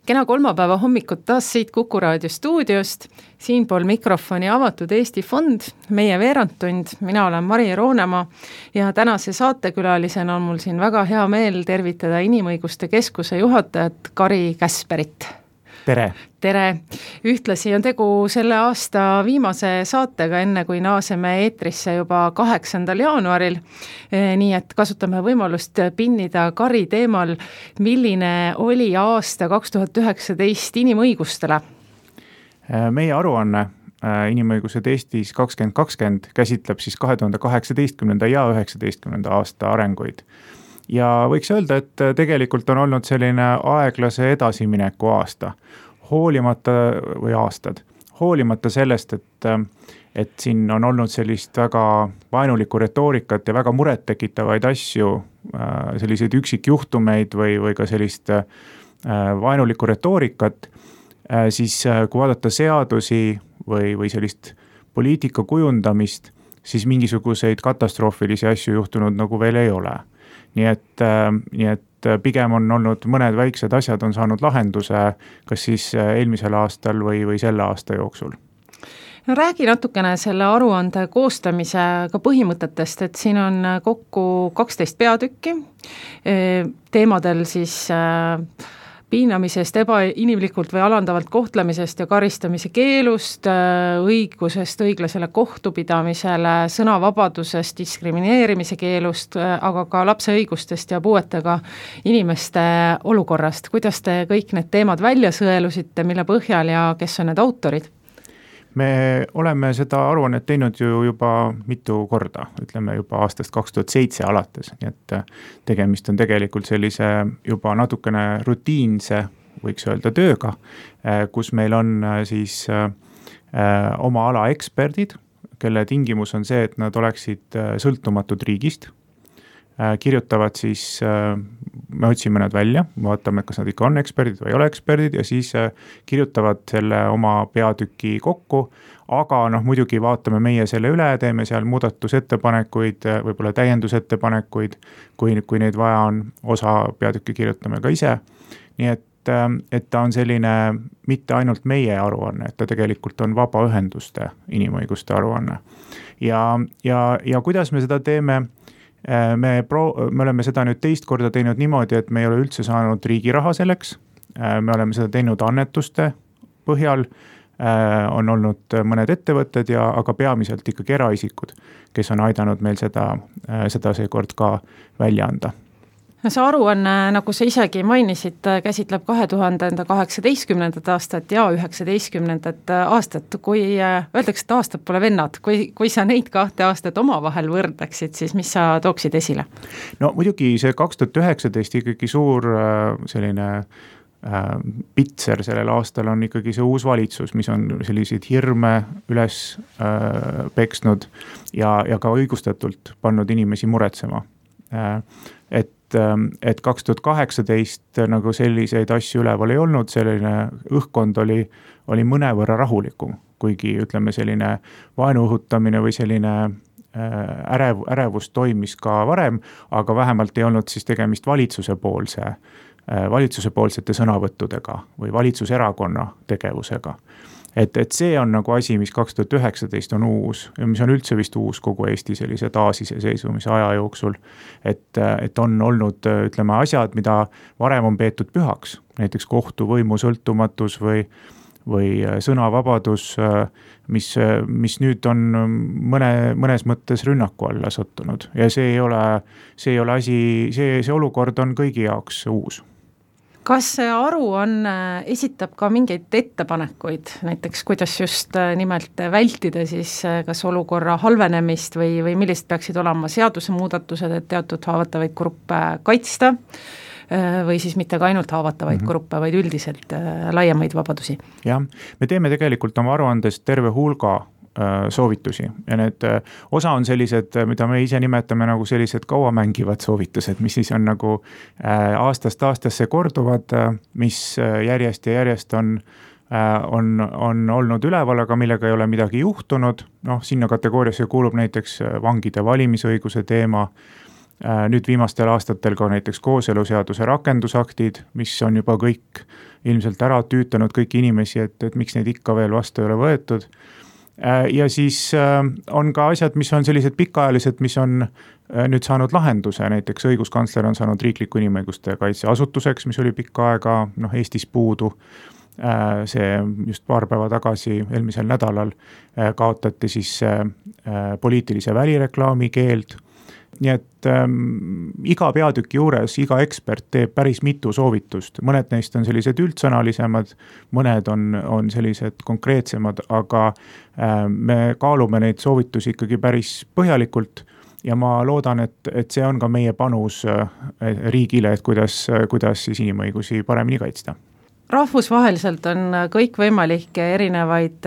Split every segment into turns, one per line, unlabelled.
Kena kolmapäeva hommikut taas siit Kuku Raadio stuudiost, siinpool mikrofoni avatud Eesti Fond, meie veerandtund, mina olen Mari Roonemaa ja tänase saatekülalisena on mul siin väga hea meel tervitada Inimõiguste Keskuse juhatajat Kari Käsperit.
Tere!
Tere! Ühtlasi on tegu selle aasta viimase saatega, enne kui naaseme eetrisse juba 8. jaanuaril. Nii et kasutame võimalust pinnida Kari teemal, milline oli aasta 2019 inimõigustele.
Meie aruanne Inimõigused Eestis 2020 käsitleb siis 2018. ja 2019. aasta arenguid. Ja võiks öelda, et tegelikult on olnud selline aeglase edasimineku aasta, hoolimata sellest, et siin on olnud sellist väga vaenulikku retoorikat ja väga muret tekitavaid asju, selliseid üksikjuhtumeid või ka sellist vaenulikku retoorikat, siis kui vaadata seadusi või sellist poliitika kujundamist, siis mingisuguseid katastroofilisi asju juhtunud nagu veel ei ole. Nii et pigem on olnud mõned väiksed asjad on saanud lahenduse, kas siis eelmisel aastal või selle aasta jooksul.
No räägi natukene selle aruande koostamise ka põhimõtetest, et siin on kokku 12 peatükki, teemadel siis piinamisest, ebainimlikult või alandavalt kohtlemisest ja karistamise keelust, õigusest õiglasele kohtupidamisele, sõnavabadusest, diskrimineerimise keelust, aga ka lapse õigustest ja puuetega inimeste olukorrast. Kuidas te kõik need teemad välja sõelusite, mille põhjal ja kes on need autorid?
Me oleme seda aruannet teinud ju juba mitu korda, ütleme juba aastast 2007 alates, nii et tegemist on tegelikult sellise juba natukene rutiinse, võiks öelda tööga, kus meil on siis oma ala eksperdid, kelle tingimus on see, et nad oleksid sõltumatud riigist, kirjutavad siis, me otsime nad välja, vaatame, kas nad ikka on eksperdid või ei ole eksperdid ja siis kirjutavad selle oma peatüki kokku, aga muidugi vaatame meie selle üle, teeme seal muudatusettepanekuid, võib-olla täiendusettepanekuid, kui neid vaja on, osa peatükki kirjutame ka ise. Nii et ta on selline mitte ainult meie aruanne, et ta tegelikult on vabaühenduste inimõiguste aruanne. Ja kuidas me seda teeme? Me oleme seda nüüd teist korda teinud niimoodi, et me ei ole üldse saanud riigi raha selleks. Me oleme seda teinud annetuste põhjal, on olnud mõned ettevõtted, aga peamiselt ikkagi eraisikud, kes on aidanud meil seda seekord ka välja anda.
See aruanne, nagu sa isegi mainisid, käsitleb 2018. aastat ja 2019. aastat. Kui öeldakse, et aastad pole vennad, kui sa neid 2 aastat omavahel võrdleksid, siis mis sa tooksid esile?
No muidugi see 2019 ikkagi suur selline pitser sellel aastal on ikkagi see uus valitsus, mis on selliseid hirme üles peksnud ja ka õigustatult pannud inimesi muretsema. Et 2018 nagu selliseid asju üleval ei olnud, selline õhkkond oli mõnevõrra rahulikum, kuigi ütleme selline vaenu õhutamine või selline ärevus toimis ka varem, aga vähemalt ei olnud siis tegemist valitsusepoolsete sõnavõttudega või valitsuserakonna tegevusega. Et see on nagu asi, mis 2019 on uus ja mis on üldse vist uus kogu Eesti sellise taasiseseisvumise aja jooksul, et on olnud, ütleme, asjad, mida varem on peetud pühaks, näiteks kohtuvõimu sõltumatus või sõnavabadus, mis nüüd on mõnes mõttes rünnaku alla sattunud ja see olukord on kõigi jaoks uus.
Kas see aruanne esitab ka mingeid ettepanekuid, näiteks kuidas just nimelt vältida siis kas olukorra halvenemist või millised peaksid olema seadusemuudatused, et teatud haavatavaid gruppe kaitsta või siis mitte ka ainult haavatavaid gruppe, vaid üldiselt laiemaid vabadusi? Jah,
me teeme tegelikult oma aruandes terve hulga soovitusi ja need osa on sellised, mida me ise nimetame nagu sellised kauamängivad soovitused, mis siis on nagu aastast aastasse korduvad, mis järjest ja järjest on olnud üleval, aga millega ei ole midagi juhtunud. Sinna kategooriasse kuulub näiteks vangide valimisõiguse teema, nüüd viimastel aastatel ka näiteks kooseluseaduse rakendusaktid, mis on juba kõik ilmselt ära tüütanud kõiki inimesi, et miks neid ikka veel vastu ei ole võetud. Ja siis on ka asjad, mis on sellised pikaajalised, mis on nüüd saanud lahenduse, näiteks õiguskantsler on saanud riikliku inimõiguste kaitseasutuseks, mis oli pikka aega Eestis puudu. See just paar päeva tagasi, eelmisel nädalal kaotati siis poliitilise välireklaami keeld. Nii et iga peatüki juures, iga ekspert teeb päris mitu soovitust. Mõned neist on sellised üldsõnalisemad, mõned on sellised konkreetsemad, aga me kaalume neid soovitusi ikkagi päris põhjalikult ja ma loodan, et see on ka meie panus riigile, et kuidas siis inimõigusi paremini kaitsta.
Rahvusvaheliselt on kõikvõimalikke erinevaid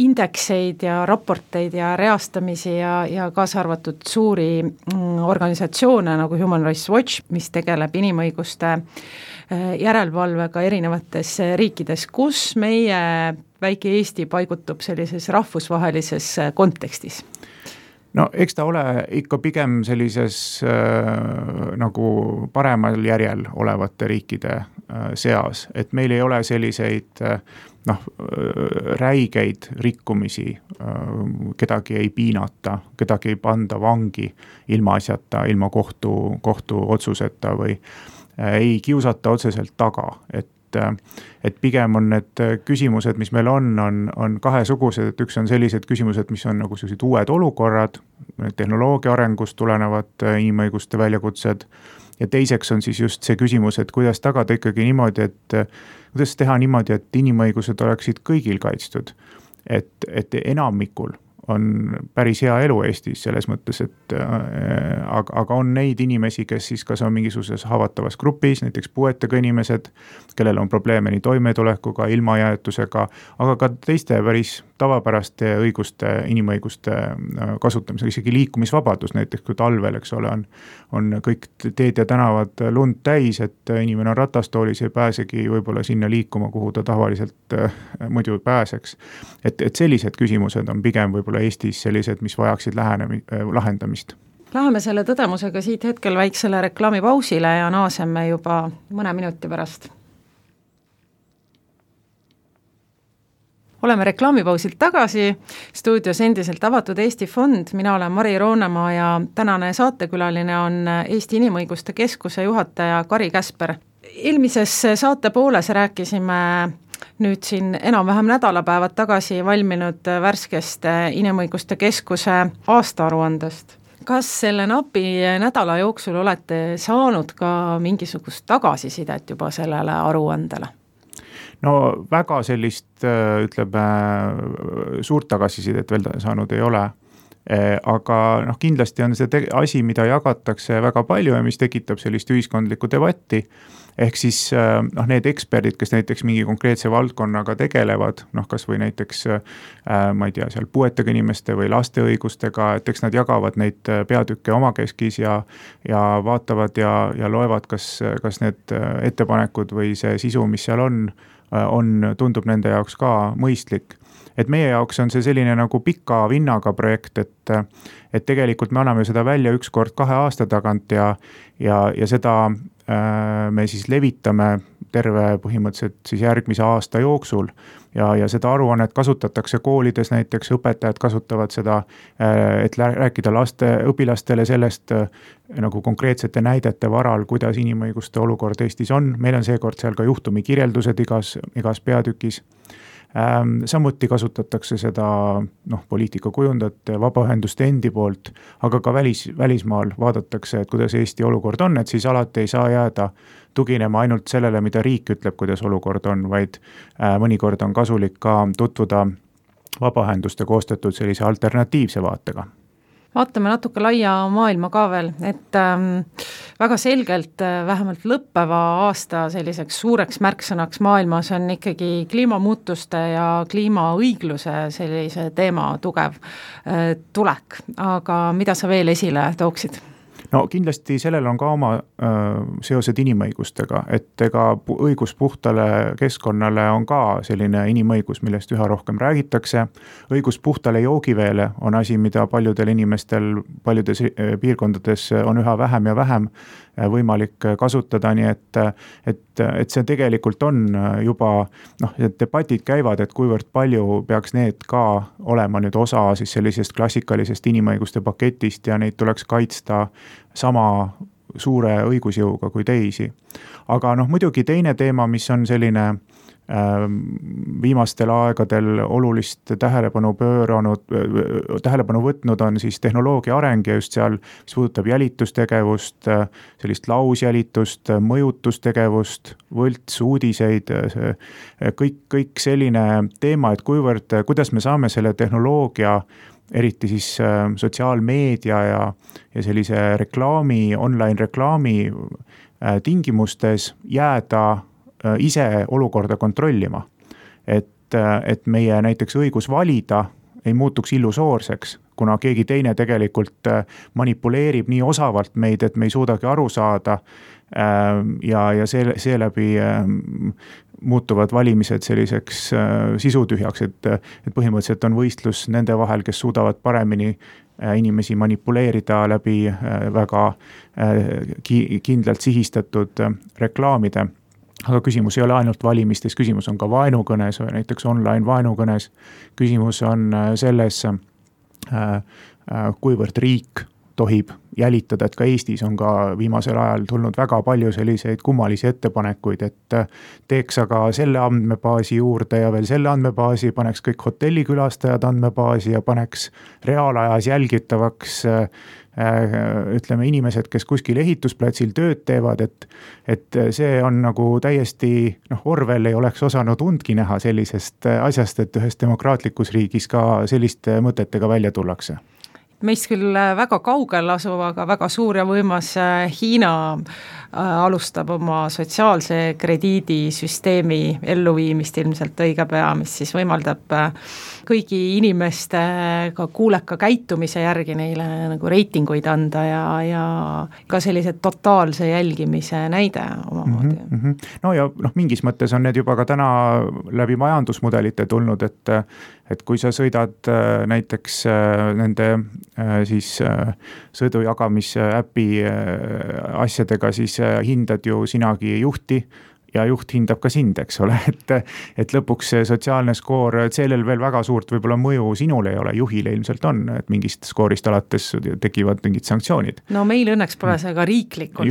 indekseid ja raporteid ja reastamisi ja kaasa arvatud suuri organisatsioone nagu Human Rights Watch, mis tegeleb inimõiguste järelevalvega erinevates riikides, kus meie väike Eesti paigutub sellises rahvusvahelises kontekstis.
No eks ta ole ikka pigem sellises nagu paremal järjel olevate riikide seas, et meil ei ole selliseid räigeid rikkumisi, kedagi ei piinata, kedagi ei panda vangi ilma asjata, ilma kohtu otsuseta või ei kiusata otseselt taga, et pigem on need küsimused, mis meil on kahesugused, et üks on sellised küsimused, mis on nagu sellised uued olukorrad, tehnoloogia arengust tulenevad inimõiguste väljakutsed ja teiseks on siis just see küsimus, et kuidas tagada ikkagi niimoodi, kuidas teha niimoodi, et inimõigused oleksid kõigil kaitstud, et enamikul on päris hea elu Eestis selles mõttes, et aga on neid inimesi, kes siis kas on mingisuguses haavatavas grupis, näiteks puuetega inimesed, kellel on probleeme nii toimetulekuga, ilmajäetusega, aga ka teiste päris tavapäraste õiguste, inimõiguste kasutamisega, isegi liikumisvabadus, näiteks kui talvel, eks ole, on kõik teed ja tänavad lund täis, et inimene on ratastoolis ja ei pääsegi võib-olla sinna liikuma, kuhu ta tavaliselt muidu pääseks. Et sellised küsimused on pigem võib-olla Eestis sellised, mis vajaksid lahendamist.
Läheme selle tõdemusega siit hetkel väiksele reklaamipausile ja naaseme juba mõne minuti pärast. Oleme reklaamipausilt tagasi, stuudios endiselt avatud Eesti Fond, mina olen Mari Roonemaa ja tänane saatekülaline on Eesti Inimõiguste Keskuse juhataja Kari Käsper. Eelmises saate pooles rääkisime nüüd siin enam-vähem nädalapäevad tagasi valminud värskest Inimõiguste Keskuse aastaaruandest. Kas selle napi nädala jooksul olete saanud ka mingisugust tagasisidet juba sellele aruandele?
No väga sellist, ütleme, suurt tagasisidet veel saanud ei ole, aga kindlasti on see asi, mida jagatakse väga palju ja mis tekitab sellist ühiskondlikku debatti, ehk siis need eksperdid, kes näiteks mingi konkreetse valdkonnaga tegelevad, kas või näiteks, ma ei tea, seal puuetega inimeste või laste õigustega, et eks nad jagavad neid peatükke omakeskis ja vaatavad ja loevad, kas need ettepanekud või see sisu, mis seal tundub nende jaoks ka mõistlik. Et meie jaoks on see selline nagu pika vinnaga projekt, et tegelikult me anname seda välja üks kord 2 aasta tagant ja seda me siis levitame terve põhimõtteliselt siis järgmise aasta jooksul ja seda aruannet kasutatakse koolides, näiteks õpetajad kasutavad seda, et rääkida õpilastele sellest nagu konkreetsete näidete varal, kuidas inimõiguste olukord Eestis on. Meil on seekord seal ka juhtumi kirjeldused igas peatükis. Samuti kasutatakse seda poliitikakujundajate, vabaühenduste endi poolt, aga ka välismaal vaadatakse, et kuidas Eesti olukord on, et siis alati ei saa jääda tuginema ainult sellele, mida riik ütleb, kuidas olukord on, vaid mõnikord on kasulik ka tutvuda vabaühenduste koostatud sellise alternatiivse vaatega.
Vaatame natuke laia maailma ka veel, et väga selgelt vähemalt lõppeva aasta selliseks suureks märksõnaks maailmas on ikkagi kliimamuutuste ja kliimaõigluse sellise teema tugev tulek, aga mida sa veel esile tooksid?
No kindlasti sellel on ka oma seosed inimõigustega, et ega õigus puhtale keskkonnale on ka selline inimõigus, millest üha rohkem räägitakse. Õigus puhtale joogiveele on asi, mida paljudel inimestel paljudes piirkondades on üha vähem ja vähem võimalik kasutada, nii et et see tegelikult on juba, debatid käivad, et kuivõrd palju peaks need ka olema nüüd osa siis sellisest klassikalisest inimõiguste paketist ja neid tuleks kaitsta sama suure õigusjõuga kui teisi. Aga muidugi teine teema, mis on selline viimastel aegadel olulist tähelepanu võtnud, on siis tehnoloogia areng ja just seal, mis puudutab jälitustegevust, sellist lausjälitust, mõjutustegevust, võltsuudiseid, kõik selline teema, et kuidas me saame selle tehnoloogia, eriti siis sotsiaalmeedia ja sellise reklaami, online reklaami tingimustes jääda ise olukorda kontrollima. Et meie näiteks õigus valida ei muutuks illusoorseks, kuna keegi teine tegelikult manipuleerib nii osavalt meid, et me ei suudagi aru saada ja seeläbi muutuvad valimised selliseks sisutühjaks, et põhimõtteliselt on võistlus nende vahel, kes suudavad paremini inimesi manipuleerida läbi väga kindlalt sihistatud reklaamide. Aga küsimus ei ole ainult valimistes, küsimus on ka vaenukõnes, näiteks online vaenukõnes. Küsimus on selles, kuivõrd riik tohib jälitada, et ka Eestis on ka viimasel ajal tulnud väga palju selliseid kummalisi ettepanekuid, et teeks aga selle andmebaasi juurde ja veel selle andmebaasi, paneks kõik hotellikülastajad andmebaasi ja paneks reaalajas jälgitavaks ütleme inimesed, kes kuskil ehitusplatsil tööd teevad, et see on nagu täiesti, Orwell ei oleks osanud undki näha sellisest asjast, et ühes demokraatlikus riigis ka selliste mõtetega välja tullakse.
Meist küll väga kaugel asuv, aga väga suur ja võimas Hiina alustab oma sotsiaalse krediidisüsteemi elluviimist ilmselt õige pea, mis siis võimaldab kõigi inimeste ka kuuleka käitumise järgi neile nagu reitinguid anda ja ka sellised totaalse jälgimise näide omamoodi.
No ja mingis mõttes on need juba ka täna läbi majandusmudelite tulnud, et kui sa sõidad näiteks nende siis sõidujagamise äpi asjadega, siis hindad ju sinagi juhti ja juht hindab ka sind, eks ole, et lõpuks see sotsiaalne skoor, et sellel veel väga suurt võib-olla mõju sinule ei ole, juhile ilmselt on, et mingist skoorist alates tekivad mingid sanktsioonid.
No meil õnneks pole see ka riiklikult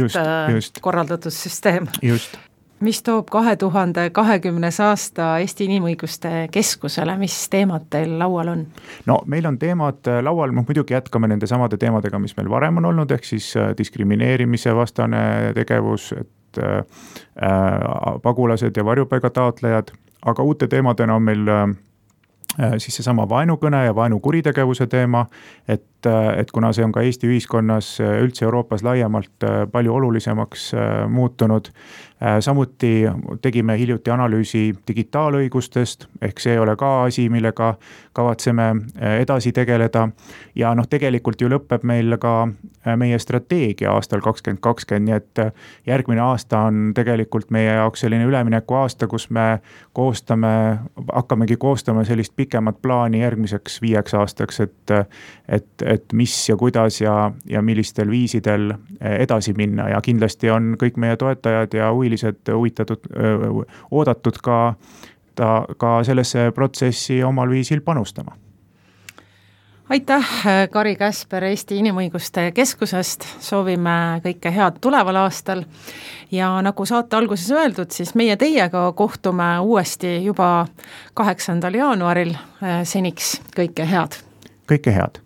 just. Korraldatud süsteem.
Just.
Mis toob 2020. aasta Eesti Inimõiguste Keskusele, mis teemad teil laual on?
No meil on teemad laual, muidugi jätkame nende samade teemadega, mis meil varem on olnud, ehk siis diskrimineerimise vastane tegevus, pagulased ja varjupaiga taotlejad, aga uute teemadena on meil siis seesama vaenukõne ja vaenukuritegevuse teema, et kuna see on ka Eesti ühiskonnas üldse Euroopas laiemalt palju olulisemaks muutunud, samuti tegime hiljuti analüüsi digitaalõigustest, ehk see ei ole ka asi, millega kavatseme edasi tegeleda ja tegelikult ju lõpeb meil ka meie strateegia aastal 2020, nii et järgmine aasta on tegelikult meie jaoks selline ülemineku aasta, kus me hakkamegi koostama sellist pikemat plaani järgmiseks 5 aastaks, et mis ja kuidas ja millistel viisidel edasi minna ja kindlasti on kõik meie toetajad ja huvilised oodatud ka sellesse protsessi omal viisil panustama.
Aitäh, Kari Käsper Eesti Inimõiguste Keskusest, soovime kõike head tuleval aastal ja nagu saate alguses öeldud, siis meie teiega kohtume uuesti juba 8. jaanuaril, seniks kõike head!
Kõike head!